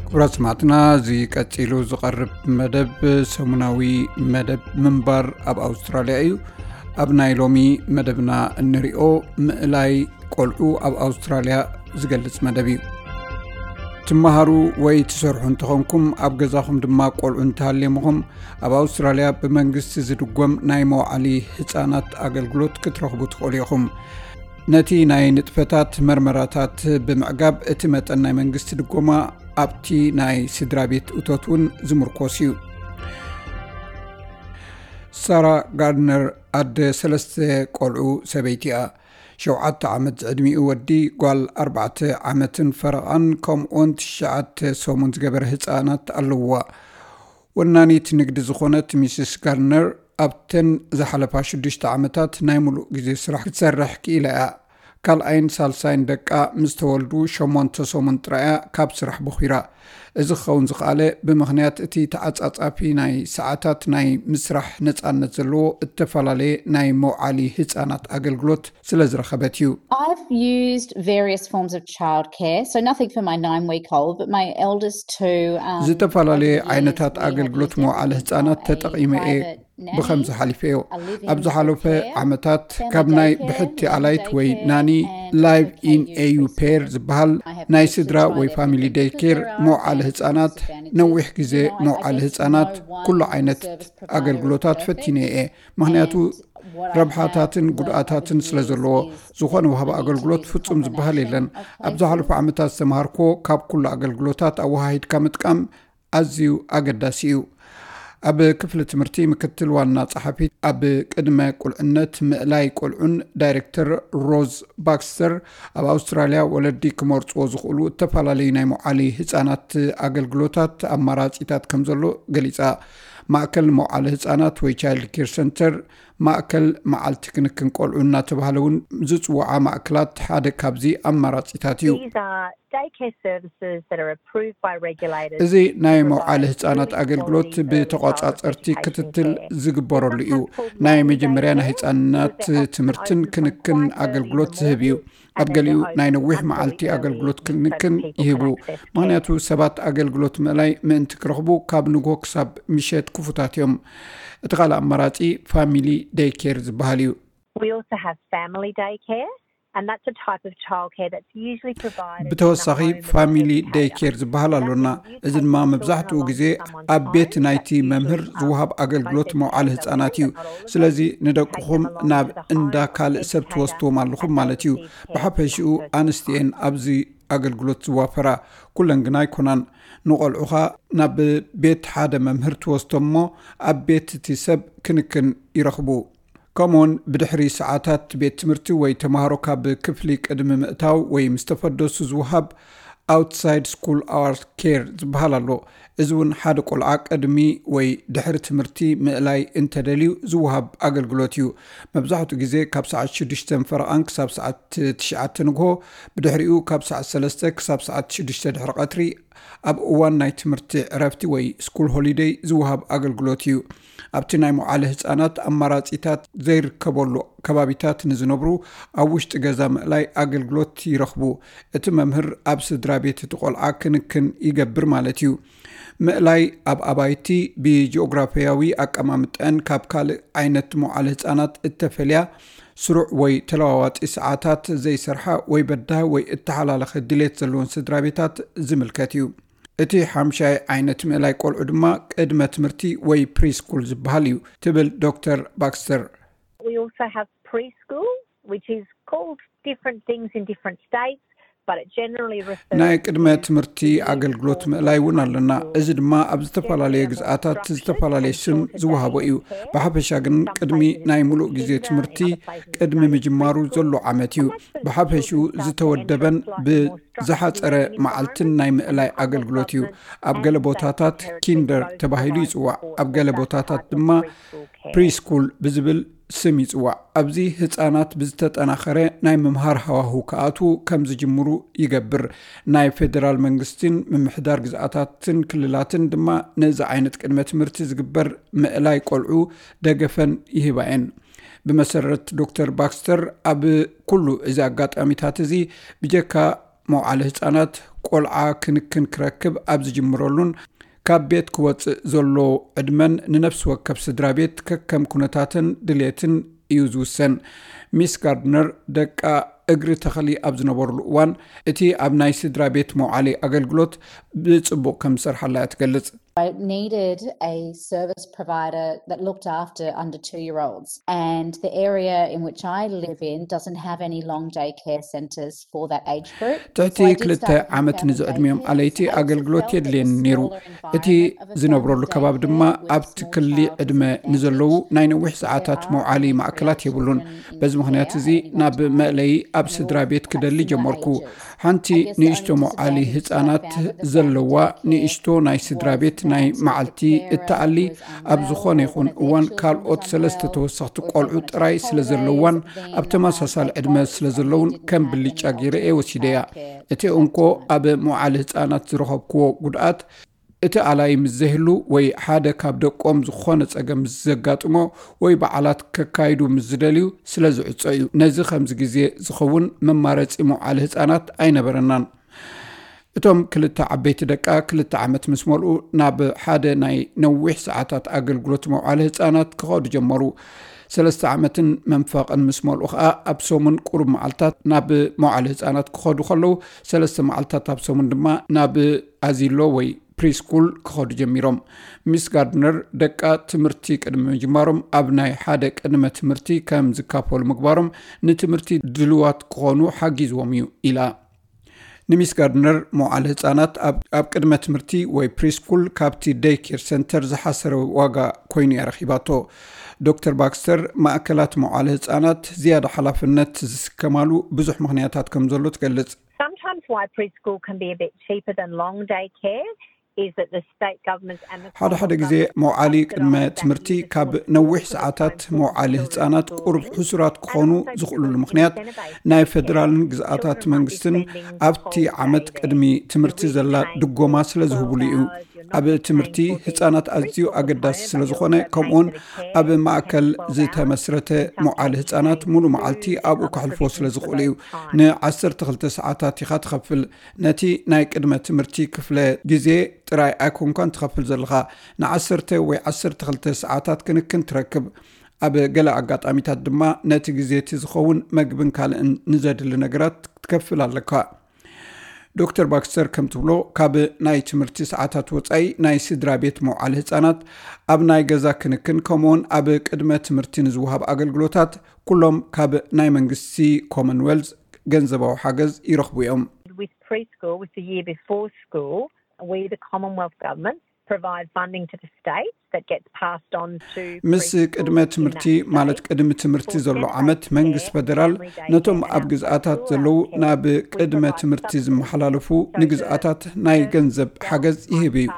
ክቡራት ሰማዕትና፣ እዚ ቀጺሉ ዝቐርብ መደብ ሰሙናዊ መደብ ምንባር ኣብ ኣውስትራልያ እዩ። ኣብ ናይ ሎሚ መደብና እንሪኦ ምእላይ ቆልዑ ኣብ ኣውስትራልያ ዝገልጽ መደብ እዩ። ትመሃሩ ወይ ትሰርሑ እንተኾንኩም፣ ኣብ ገዛኹም ድማ ቆልዑ እንተሃልየምኹም፣ ኣብ ኣውስትራልያ ብመንግስቲ ዝድጎም ናይ መውዓሊ ህጻናት ኣገልግሎት ክትረኽቡ ትኽእሉ ኢኹም። ነቲ ናይ ንጥፈታት መርመራታት ብምዕጋብ፣ እቲ መጠን ናይ መንግስቲ ድጎማ ኣብቲ ናይ ስድራ ቤት እቶት እውን ዝምርኮስ እዩ። ሳራ ጋርድነር ኣደ ሰለስተ ቆልዑ ሰበይቲ እያ። ሸውዓተ ዓመት ዝዕድሚኡ ወዲ፣ ጓል ኣርባዕተ ዓመትን ፈረቓን፣ ከምኡውን ትሽዓተ ሰሙን ዝገበረ ህጻናት ኣለውዋ። ወናኒት ንግዲ ዝኾነት ሚስስ ጋርድነር፣ ኣብተን ዝሓለፋ ሽዱሽተ ዓመታት ናይ ሙሉእ ግዜ ስራሕ ክትሰርሕ ክኢላ እያ። ካልኣይን ሳልሳይን ደቃ ምስ ተወልዱ ሸሞንተ ሰሙን ጥራይ እያ ካብ ስራሕ ቦኺራ። እዚ ክኸውን ዝኸኣለ ብምኽንያት እቲ ተዓጻጻፊ ናይ ሰዓታት ናይ ምስራሕ ነጻነት ዘለዎ እተፈላለየ ናይ መውዓሊ ህጻናት ኣገልግሎት ስለ ዝረኸበት እዩ። I've used various forms of childcare, so nothing for my nine week old, but my eldest two. Um, ዝተፈላለየ over the years, ዓይነታት we have ኣገልግሎት used መውዓሊ everything ህጻናት from a ተጠቒመ እየ። private nanny, ብኸምዚ ሓሊፈዮ። a live-in ኣብ ዝሓለፈ daycare, ዓመታት family ካብ ናይ daycare, ብሕቲ nanny ኣላይት ወይ daycare, ናኒ and ላይቭ daycare ኢን use ኤዩ preschool. ፔር ዝበሃል I have ናይ two ስድራ children, ወይ they're ፋሚሊ fifteen, ደይኬር fifteen year old, መውዓሊ and ህጻናት disadvantages. ነዊሕ ግዜ You know, I- I መውዓሊ guess ህጻናት no one ኩሉ ዓይነት service provider ኣገልግሎታት is perfect. ፈቲነ እየ። ምኽንያቱ And what I ረብሓታትን found, though, ጉድኣታትን over the ስለ years ዘለዎ is ዝኾነ the ወሃቢ need to ኣገልግሎት do the ፍጹም ዝበሃል የለን። combination of ኣብ ዝሓለፉ places. ዓመታት ዝተምሃርኮ ካብ ኩሉ ኣገልግሎታት ኣወሃሂድካ ምጥቃም ኣዝዩ ኣገዳሲ እዩ። ኣብ ክፍሊ ትምህርቲ ምክትል ዋና ጸሓፊት ኣብ ቅድመ ቁልዕነት ምእላይ ቆልዑን ዳይሬክተር ሮዝ ባክስተር፣ ኣብ ኣውስትራልያ ወለዲ ክመርጽዎ ዝኽእሉ እተፈላለዩ ናይ መውዓሊ ህጻናት ኣገልግሎታት ኣማራጺታት ከም ዘሎ ገሊጻ። ማእከል መውዓሊ ህጻናት ወይ ቻይልድ ኬር ሰንተር፣ ማእከል መዓልቲ ክንክን ቆልዑ እናተባህለ እውን ዝጽውዓ ማእከላት ሓደ ካብዚ ኣማራጺታት እዩ። These are daycare services that are approved by regulators. እዚ ናይ መውዓሊ ህጻናት ኣገልግሎት ብተቋጻጸርቲ ክትትል ዝግበረሉ እዩ። ናይ መጀመርያ ናይ ህጻናት ትምህርትን ክንክን ኣገልግሎት ዝህብ እዩ። ኣብ ገሊኡ ናይ ነዊሕ መዓልቲ ኣገልግሎት ክንክን ይህቡ። ምኽንያቱ ሰባት ኣገልግሎት ምእላይ ምእንቲ ክረኽቡ ካብ ንግሆ ክሳብ ምሸት ክፉታት እዮም። እቲ ካልእ ኣማራጺ ፋሚሊ ደይኬር ዝበሃል እዩ። We also have family daycare, and that's a type of childcare that's usually provided in the ብተወሳኺ home of the ፋሚሊ educator. ደይኬር ዝበሃል ኣሎና። እዚ ድማ መብዛሕትኡ ግዜ ኣብ ቤት ናይቲ መምህር ዝወሃብ ኣገልግሎት መውዓሊ ህጻናት እዩ። ስለዚ ንደቅኹም ናብ እንዳ ካልእ ሰብ ትወስድዎም ኣለኹም ማለት እዩ። ብሓፈሽኡ ኣንስቲ እየን ኣብዚ ኣገልግሎት ዝዋፈራ፣ ኩለን ግና ኣይኮናን። ንቆልዑኻ ናብ ቤት ሓደ መምህር ትወስዶም እሞ ኣብ ቤት እቲ ሰብ ክንክን ይረኽቡ። ከምኡውን ብድሕሪ ሰዓታት ቤት ትምህርቲ ወይ ተምሃሮ ካብ ክፍሊ ቅድሚ ምእታው ወይ ምስ ተፈደሱ ዝወሃብ ኣውትሳይድ ስኩል ኣወር ኬር ዝበሃል ኣሎ። እዚ እውን ሓደ ቆልዓ ቅድሚ ወይ ድሕሪ ትምህርቲ ምእላይ እንተደልዩ ዝወሃብ ኣገልግሎት እዩ። መብዛሕትኡ ግዜ ካብ ሰዓት ሽዱሽተ ፈረቓን ክሳብ ሰዓት ትሽዓተ ንግሆ፣ ብድሕሪኡ ካብ ሰዓት ሰለስተ ክሳብ ሰዓት ሽዱሽተ ድሕሪ ቀትሪ፣ ኣብ እዋን ናይ ትምህርቲ ዕረፍቲ ወይ ስኩል ሆሊደይ ዝወሃብ ኣገልግሎት እዩ። ኣብቲ ናይ መውዓሊ ህጻናት ኣማራጺታት ዘይርከበሉ ከባቢታት ንዝነብሩ፣ ኣብ ውሽጢ ገዛ ምእላይ ኣገልግሎት ይረኽቡ። እቲ መምህር ኣብ ስድራ ቤት እቲ ቆልዓ ክንክን ይገብር ማለት እዩ። ምእላይ ኣብ ኣባይቲ ብጂኦግራፊያዊ ኣቀማምጠን ካብ ካልእ ዓይነት መውዓሊ ህጻናት እተፈልያ፣ ስሩዕ ወይ ተለዋዋጢ ሰዓታት ዘይሰርሓ ወይ በዳሂ ወይ እተሓላለኸ ድሌት ዘለወን ስድራ ቤታት ዝምልከት እዩ። እቲ ሓምሻይ ዓይነት ምእላይ ቆልዑ ድማ ቅድመ ትምህርቲ ወይ ፕሪስኩል ዝበሃል እዩ፣ ትብል ዶክተር ባክስተር። We also have preschool, which is called different things in different states, but it generally refers ናይ ቅድመ to ትምህርቲ ኣገልግሎት ምእላይ እውን ኣለና። እዚ ድማ ኣብ ዝተፈላለየ ግዝኣታት ዝተፈላለየ ስም ዝወሃቦ እዩ። ብሓፈሻ ግን ቅድሚ ናይ ሙሉእ ግዜ ትምህርቲ፣ ቅድሚ ምጅማሩ ዘሎ ዓመት እዩ። ብሓፈሽኡ ዝተወደበን ብዝሓጸረ መዓልትን ናይ ምእላይ ኣገልግሎት እዩ። ኣብ ገለ ቦታታት ኪንደር ተባሂሉ ይጽዋዕ፣ ኣብ ገለ ቦታታት ድማ ፕሪስኩል ብዝብል ስም ይጽዋዕ። ኣብዚ ህጻናት ብዝተጠናኸረ ናይ ምምሃር ሃዋሁ ክኣትዉ ከም ዝጅምሩ ይገብር። ናይ ፌደራል መንግስትን ምምሕዳር ግዝኣታትን ክልላትን ድማ ነዚ ዓይነት ቅድመ ትምህርቲ ዝግበር ምእላይ ቆልዑ ደገፈን ይህባ እየን። ብመሰረት ዶክተር ባክስተር፣ ኣብ ኩሉ እዚ ኣጋጣሚታት እዚ ብጀካ መውዓሊ ህጻናት ቆልዓ ክንክን ክረክብ ኣብ ዝጅምረሉን ካብ ቤት ክወፅእ ዘሎ ዕድመን ንነፍሲ ወከፍ ስድራ ቤት ከከም ኩነታትን ድሌትን እዩ ዝውሰን። ሚስ ጋርድነር ደቃ እግሪ ተኸሊ ኣብ ዝነበሩሉ እዋን እቲ ኣብ ናይ ስድራ ቤት መውዓሊ ኣገልግሎት ብፅቡቕ ከም ዝሰርሓላ እያ ትገልጽ። I needed a service provider that looked after under two year olds, and the area in which I live in doesn't have any long day care centres for that age group. ትሕቲ ክልተ ዓመት ንዝዕድሚኦም ኣለይቲ ኣገልግሎት የድልየኒ ነይሩ። እቲ ዝነብረሉ ከባቢ ድማ ኣብቲ ክሊ ዕድመ ንዘለዉ ናይ ነዊሕ ሰዓታት መውዓሊ ማእከላት የብሉን። በዚ ምኽንያት እዚ ናብ መእለዪ ኣብ ስድራ ቤት ክደሊ ጀመርኩ። ሓንቲ ንእሽቶ መውዓሊ ህፃናት ዘለዋ ንእሽቶ ናይ ስድራ ቤት ናይ መዓልቲ እትኣሊ ኣብ ዝኾነ ይኹን እዋን ካልኦት ሰለስተ ተወሰኽቲ ቆልዑ ጥራይ ስለ ዘለዋን ኣብ ተመሳሳሊ ዕድመ ስለ ዘለውን ከም ብልጫ ገይረ እየ ወሲደያ። እቲ እንኮ ኣብ መውዓሊ ህፃናት ዝረኸብክዎ ጉድኣት እቲ ኣላይ ምስ ዘይህሉ ወይ ሓደ ካብ ደቆም ዝኾነ ጸገም ምስ ዘጋጥሞ ወይ በዓላት ከካይዱ ምስ ዝደልዩ ስለ ዝዕጾ እዩ። ነዚ ከምዚ ግዜ ዝኸውን መማረጺ መውዓሊ ህጻናት ኣይነበረናን። እቶም ክልተ ዓበይቲ ደቃ ክልተ ዓመት ምስ መልኡ ናብ ሓደ ናይ ነዊሕ ሰዓታት ኣገልግሎት መውዓሊ ህጻናት ክኸዱ ጀመሩ። ሰለስተ ዓመትን መንፈቕን ምስ መልኡ ኸኣ ኣብ ሰሙን ቁሩብ መዓልታት ናብ መውዓሊ ህጻናት ክኸዱ ከለዉ ሰለስተ መዓልታት ኣብ ሰሙን ድማ ናብ ኣዚሎ ወይ ፕሪስኩል ክኸዱ ጀሚሮም። ሚስ ጋርድነር ደቃ ትምህርቲ ቅድሚ ምጅማሮም ኣብ ናይ ሓደ ቅድመ ትምህርቲ ከም ዝካፈሉ ምግባሮም ንትምህርቲ ድልዋት ክኾኑ ሓጊዝዎም እዩ ኢላ። ንሚስ ጋርድነር መውዓሊ ህጻናት ኣብ ቅድመ ትምህርቲ ወይ ፕሪስኩል ካብቲ ደይ ኬር ሰንተር ዝሓሰረ ዋጋ ኮይኑ እያ ረኺባቶ። ዶክተር ባክስተር ማእከላት መውዓሊ ህጻናት ዝያዳ ሓላፍነት ዝስከማሉ ብዙሕ ምኽንያታት ከም ዘሎ ትገልጽ። Sometimes why preschool can be a bit cheaper than long day care is that the state government and the ሓደ ሓደ ግዜ መውዓሊ ቅድመ ትምህርቲ ካብ ነዊሕ ሰዓታት መውዓሊ ህጻናት ቁሩብ ሕሱራት ክኾኑ ዝኽእሉሉ ምኽንያት ናይ ፌደራልን ግዝኣታት መንግስትን ኣብቲ ዓመት ቅድሚ ትምህርቲ ዘላ ድጎማ ስለ ዝህብሉ እዩ። ኣብ ትምህርቲ ህጻናት ኣዝዩ ኣገዳሲ ስለ ዝኾነ ከምኡውን ኣብ ማእከል ዝተመስረተ መውዓሊ ህጻናት ሙሉ መዓልቲ ኣብኡ ከሕልፎ ስለ ዝኽእሉ እዩ። ንዓሰርተ ክልተ ሰዓታት ኢኻ ትኸፍል። ነቲ ናይ ቅድመ ትምህርቲ ክፍለ ግዜ ጥራይ ኣይኮንካን ትኸፍል ዘለኻ። ንዓሰርተ ወይ ዓሰርተ ክልተ ሰዓታት ክንክን ትረክብ። ኣብ ገለ ኣጋጣሚታት ድማ ነቲ ግዜ እቲ ዝኸውን መግብን ካልእን ንዘድሊ ነገራት ክትከፍል ኣለካ። ዶክተር ባክስተር ከም ትብሎ ካብ ናይ ትምህርቲ ሰዓታት ወጻኢ ናይ ስድራ ቤት መውዓሊ ህጻናት ኣብ ናይ ገዛ ክንክን ከምኡውን ኣብ ቅድመ ትምህርቲ ንዝወሃብ ኣገልግሎታት ኩሎም ካብ ናይ መንግስቲ ኮመንዌልዝ ገንዘባዊ ሓገዝ ይረኽቡ እዮም። With preschool, with the year before school, we, the Commonwealth Government, provide funding to the state that gets passed on to ምስ ቅድመ ትምህርቲ ማለት ቅድሚ ትምህርቲ ዘሎ ዓመት መንግስቲ ፈደራል ነቶም ኣብ ግዝኣታት ዘለዉ ናብ ቅድመ ትምህርቲ ዝመሓላለፉ ንግዝኣታት ናይ ገንዘብ ሓገዝ ይህብ እዩ።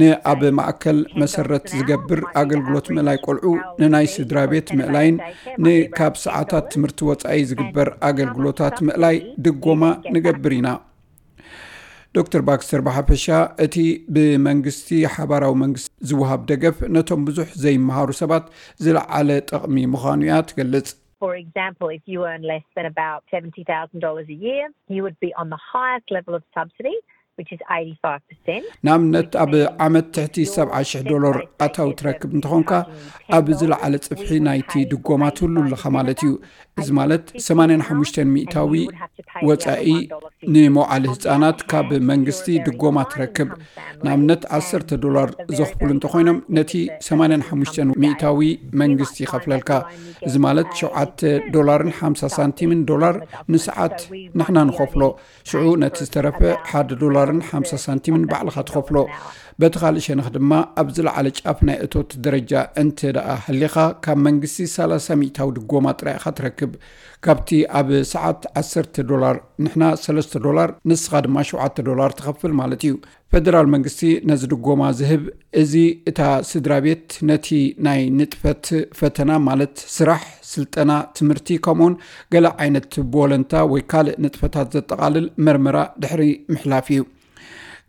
ንኣብ ማእከል መሰረት ዝገብር ኣገልግሎት ምእላይ ቆልዑ፣ ንናይ ስድራ ቤት ምእላይን ንካብ ሰዓታት ትምህርቲ ወጻኢ ዝግበር ኣገልግሎታት ምእላይ ድጎማ ንገብር ኢና። ዶክተር ባክስተር ብሓፈሻ እቲ ብመንግስቲ ሓባራዊ መንግስቲ ዝወሃብ ደገፍ ነቶም ብዙሕ ዘይመሃሩ ሰባት ዝለዓለ ጠቕሚ ምዃኑ እያ ትገልጽ። For example, if you earn less than about seventy thousand dollars a year, you would be on the highest level of subsidy, which is eighty-five percent. ንኣብነት ኣብ ዓመት ትሕቲ ሰብዓ ሽሕ ዶላር ኣታዊ ትረክብ እንተኾንካ ኣብ ዝለዓለ ጽፍሒ ናይቲ ድጎማ ትህሉ ኣለኻ ማለት እዩ። እዚ ማለት ሰማንያን ሓሙሽተን ሚእታዊ ወጻኢ ንመውዓሊ ህጻናት ካብ መንግስቲ ድጎማ ትረክብ። ንኣብነት ዓሰርተ ዶላር ዘኽፍሉ እንተኾይኖም ነቲ ሰማንያን ሓሙሽተን ሚእታዊ መንግስቲ ይኸፍለልካ። እዚ ማለት ሸውዓተ ዶላርን ሓምሳ ሳንቲምን ዶላር ንሰዓት ንሕና ንኸፍሎ። ሽዑ ነቲ ዝተረፈ ሓደ ዶላርን ሓምሳ ሳንቲምን ባዕልኻ ትኸፍሎ። በቲ ካልእ ሸነኽ ድማ ኣብ ዝለዓለ ጫፍ ናይ እቶት ደረጃ እንተ ደኣ ሃሊኻ ካብ መንግስቲ ሰላሳ ሚእታዊ ድጎማ ጥራይ ኢኻ ትረክብ። ካብቲ ኣብ ሰዓት ዓሰርተ ዶላር ንሕና ሰለስተ ዶላር ንስኻ ድማ ሸውዓተ ዶላር ትኸፍል ማለት እዩ። ፈደራል መንግስቲ ነዚ ድጎማ ዝህብ እዚ እታ ስድራ ቤት ነቲ ናይ ንጥፈት ፈተና ማለት ስራሕ፣ ስልጠና፣ ትምህርቲ ከምኡውን ገለ ዓይነት ብወለንታ ወይ ካልእ ንጥፈታት ዘጠቓልል መርመራ ድሕሪ ምሕላፍ እዩ።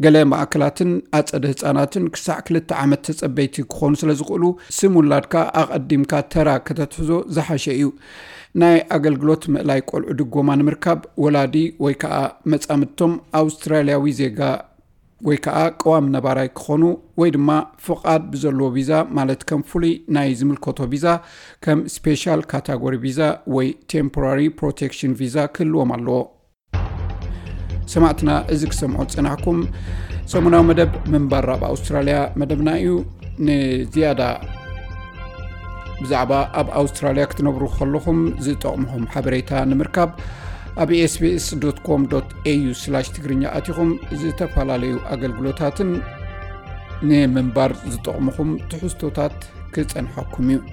ገለ ማእከላትን ኣጸደ ህጻናትን ክሳዕ ክልተ ዓመት ተጸበይቲ ክኾኑ ስለ ዝኽእሉ፣ ስም ውላድካ ኣቐዲምካ ተራ ከተትሕዞ ዝሓሸ እዩ። ናይ ኣገልግሎት ምእላይ ቆልዑ ድጎማ ንምርካብ፣ ወላዲ ወይ ከኣ መጻምድቶም ኣውስትራልያዊ ዜጋ ወይ ከኣ ቀዋሚ ነባራይ ክኾኑ ወይ ድማ ፍቓድ ብዘለዎ ቪዛ፣ ማለት ከም ፍሉይ ናይ ዝምልከቶ ቪዛ፣ ከም ስፔሻል ካታጎሪ ቪዛ ወይ ቴምፖራሪ ፕሮቴክሽን ቪዛ ክህልዎም ኣለዎ። ሰማዕትና፣ እዚ ክሰምዖ ዝጸናሕኩም ሰሙናዊ መደብ ምንባር ኣብ ኣውስትራልያ መደብና እዩ። ንዝያዳ ብዛዕባ ኣብ ኣውስትራልያ ክትነብሩ ከለኹም ዝጠቕምኹም ሓበሬታ ንምርካብ፣ ኣብ ኤስቢኤስ ዶት ኮም ዶት ኤዩ ስላሽ ትግርኛ ኣቲኹም ዝተፈላለዩ ኣገልግሎታትን ንምንባር ዝጠቕምኹም ትሕዝቶታት ክጸንሐኩም እዩ።